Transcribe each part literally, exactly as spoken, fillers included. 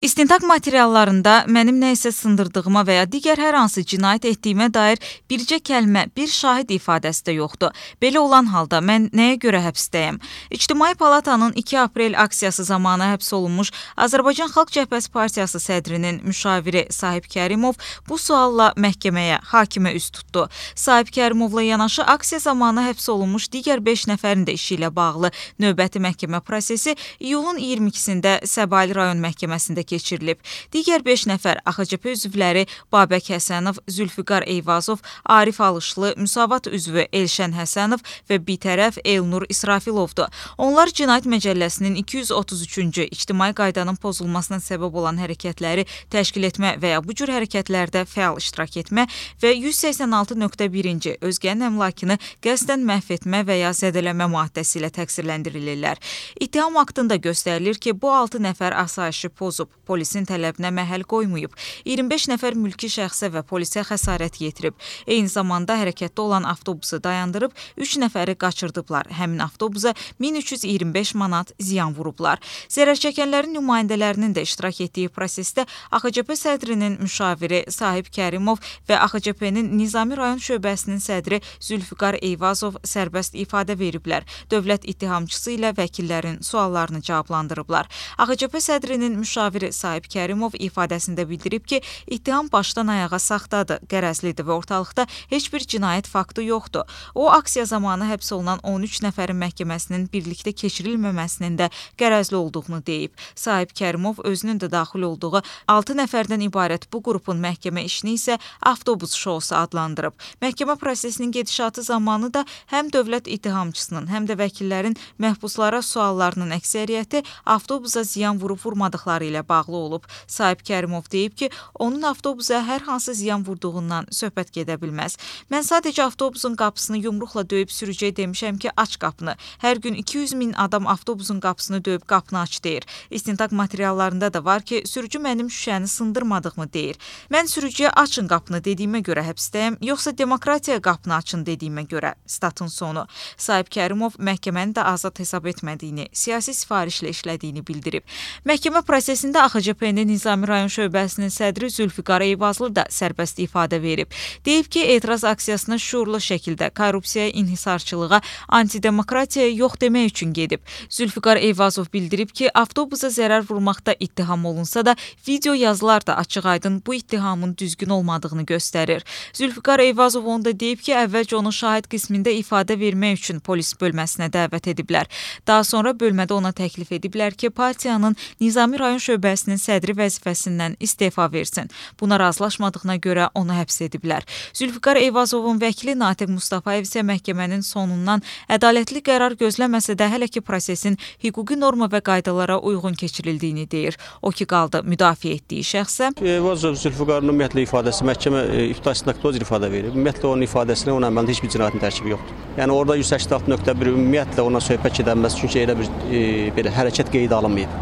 İstintaq materiallarında mənim nə isə sındırdığıma və ya digər hər hansı cinayət etdiyimə dair bircə kəlmə, bir şahid ifadəsi də yoxdur. Belə olan halda mən nəyə görə həbsdəyəm? İctimai Palatanın iki aprel aksiyası zamanı həbs olunmuş Azərbaycan Xalq Cəbhəsi Partiyası sədrinin müşaviri Sahib Kərimov bu sualla məhkəməyə, hakimə üst tutdu. Sahib Kərimovla yanaşı aksiya zamanı həbs olunmuş digər beş nəfərin də işi ilə bağlı növbəti məhkəmə prosesi iyulun iyirmi ikisində Səbail rayon məhkəməsində keçirilib. Digər beş nəfər A X C P üzvləri Babək Həsənov, Zülfüqar Eyvazov, Arif Alışlı, Müsavat üzvü Elşən Həsənov və bitərəf Elnur İsrafilovdur. Onlar Cinayət Məcəlləsinin iki yüz otuz üçüncü ictimai qaydanın pozulmasına səbəb olan hərəkətləri təşkil etmə və ya bu cür hərəkətlərdə fəal iştirak etmə və yüz səksən altı nöqtə birinci özgənin əmlakını qəsdən məhv etmə və ya zədələmə maddəsi ilə təqsirləndirilirlər. İttiham aktında göstərilir ki, bu altı nəfər asayişi pozub, polisin tələbinə məhəl qoymayıb, iyirmi beş nəfər mülki şəxsə və polisə xəsarət yetirib. Eyni zamanda hərəkətdə olan avtobusu dayandırıb, üç nəfəri qaçırdıblar. Həmin avtobusa min üç yüz iyirmi beş manat ziyan vurublar. Zərərçəkənlərin nümayəndələrinin də iştirak etdiyi prosesdə A X C P sədrinin müşaviri Sahib Kərimov və A X C P-nin Nizami rayon şöbəsinin sədri Zülfüqar Eyvazov sərbəst ifadə veriblər. Dövlət ittihamçısı ilə vəkillərin suallarını cavablandırıblar. A X C P sədrinin müşaviri Sahib Kərimov ifadəsində bildirib ki, ittiham başdan ayağa saxtadır, qərəzlidir və ortalıqda heç bir cinayət faktı yoxdur. O, aksiya zamanı həbs olunan on üç nəfərin məhkəməsinin birlikdə keçirilməməsinin də qərəzli olduğunu deyib. Sahib Kərimov özünün də daxil olduğu altı nəfərdən ibarət bu qrupun məhkəmə işini isə avtobus şousu adlandırıb. Məhkəmə prosesinin gedişatı zamanı da həm dövlət ittihamçısının, həm də vəkillərin məhbuslara suallarının əksəriyyəti avtobusa ziyan vurub-vurmadıqları ilə bağlı olub. Sahib Kərimov deyib ki, onun avtobusa hər hansı ziyan vurduğundan söhbət gedə bilməz. Mən sadəcə avtobusun qapısını yumruqla döyüb sürücüyə demişəm ki, aç qapını. Hər gün iki yüz min adam avtobusun qapısını döyüb qapını aç deyir. İstintaq materiallarında da var ki, sürücü mənim şüşəni sındırmadığımı deyir. Mən sürücüyə açın qapını dediyimə görə həbsdəyəm, yoxsa demokratiya qapını açın dediyimə görə. Statın sonu. Sahib Kərimov məhkəməni də azad hesab etmədiyini, siyasi sifarişlə işlədiyini bildirib. Məhkəmə prosesində A X C P-nin Nizami rayon şöbəsinin sədri Zülfüqar Eyvazlı da sərbəst ifadə verib. Deyib ki, etiraz aksiyasına şuurlu şəkildə korrupsiyaya, inhisarçılığa, antidemokratiyaya yox demək üçün gedib. Zülfüqar Eyvazov bildirib ki, avtobusa zərər vurmaqda ittiham olunsa da, video yazılar da açıq-aydın bu ittihamın düzgün olmadığını göstərir. Zülfüqar Eyvazov onu da deyib ki, əvvəlcə onu şahid qismində ifadə vermək üçün polis bölməsinə dəvət ediblər. Daha sonra bölmədə ona təklif ediblər ki, partiyanın Nizami rayon şöbəsinin sədri vəzifəsindən istefa versin. Buna razılaşmadığına görə onu həbs ediblər. Zülfüqar Eyvazovun vəkili Natiq Mustafayev isə məhkəmənin sonundan ədalətli qərar gözləməsə də hələ ki prosesin hüquqi norma və qaydalara uyğun keçirildiyini deyir. O ki qaldı müdafiə etdiyi şəxsə. Eyvazov Zülfüqarın ümumiyyətlə ifadəsi məhkəmə ibtidai istintaqda öz ifadə verib. Ümumiyyətlə onun ifadəsinə onun əməlində heç bir cinayətin tərkibi yoxdur. Yəni orada yüz səksən altı nöqtə bir ümumiyyətlə ona söhbət edilməz, çünki elə bir e, belə hərəkət qeydə alınmayıb.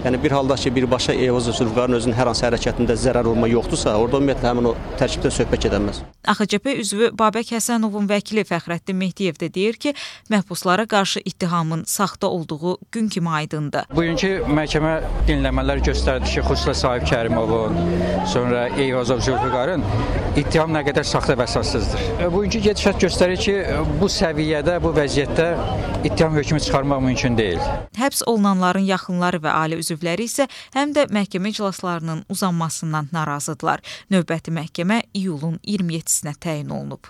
Yəni bir halda ki, birbaşa Eyvazov Zülfüqarın özünün hər hansı hərəkətində zərər olma yoxdursa, orada ümumiyyətlə həmin o tərkibdən söhbət edilməz. A X C P üzvü Babək Həsənovun vəkili Fəxrəddin Mehdiyev də deyir ki, məhbuslara qarşı ittihamın saxta olduğu gün kimi aydındır. Bugünkü məhkəmə dinləmələr göstərdi ki, xüsusilə Sahib Kərimovun, sonra Eyvazov Zülfüqarın ittiham nə qədər saxta və əsassızdır. Bugünkü gedişat göstərir ki, bu səviyyədə, bu vəziyyətdə ittiham hökmü çıxarmaq mümkün deyil. Həbs olunanların yaxınları və ailə üzvləri isə həm də məhkəmə iclaslarının uzanmasından narazıdırlar. Növbəti məhkəmə iyulun iyirmi yeddisinə təyin olunub.